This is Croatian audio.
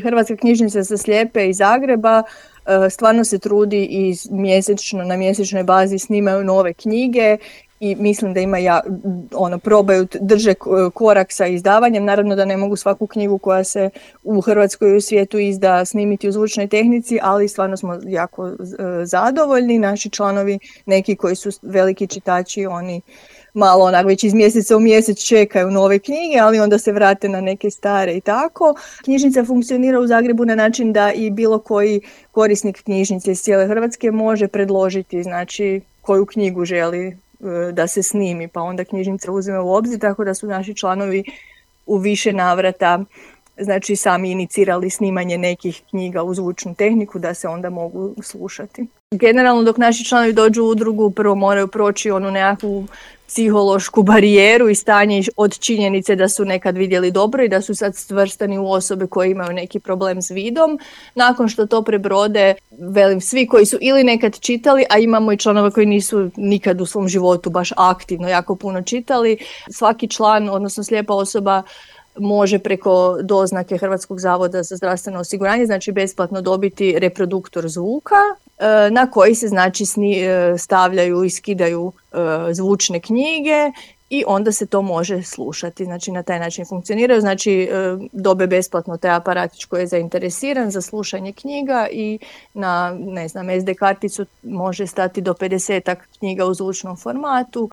Hrvatska knjižnica za slijepe iz Zagreba stvarno se trudi i na mjesečnoj bazi snimaju nove knjige i mislim da probaju, drže korak sa izdavanjem. Naravno da ne mogu svaku knjigu koja se u Hrvatskoj i u svijetu izda snimiti u zvučnoj tehnici, ali stvarno smo jako zadovoljni. Naši članovi, neki koji su veliki čitači, oni malo već iz mjeseca u mjesec čekaju nove knjige, ali onda se vrate na neke stare i tako. Knjižnica funkcionira u Zagrebu na način da i bilo koji korisnik knjižnice iz cijele Hrvatske može predložiti, znači, koju knjigu želi da se snimi, pa onda knjižnica uzme u obzir, tako da su naši članovi u više navrata, znači, sami inicirali snimanje nekih knjiga u zvučnu tehniku da se onda mogu slušati. Generalno, dok naši članovi dođu u udrugu, prvo moraju proći onu nekakvu psihološku barijeru i stanje od činjenice da su nekad vidjeli dobro i da su sad svrstani u osobe koje imaju neki problem s vidom. Nakon što to prebrode, svi koji su ili nekad čitali, a imamo i članova koji nisu nikad u svom životu baš aktivno jako puno čitali, svaki član, odnosno slijepa osoba, može preko doznake Hrvatskog zavoda za zdravstveno osiguranje, znači besplatno dobiti reproduktor zvuka na koji se, znači, stavljaju i skidaju zvučne knjige i onda se to može slušati. Znači, na taj način funkcioniraju, znači dobe besplatno taj aparatić koji je zainteresiran za slušanje knjiga i na, SD karticu može stati do 50 knjiga u zvučnom formatu.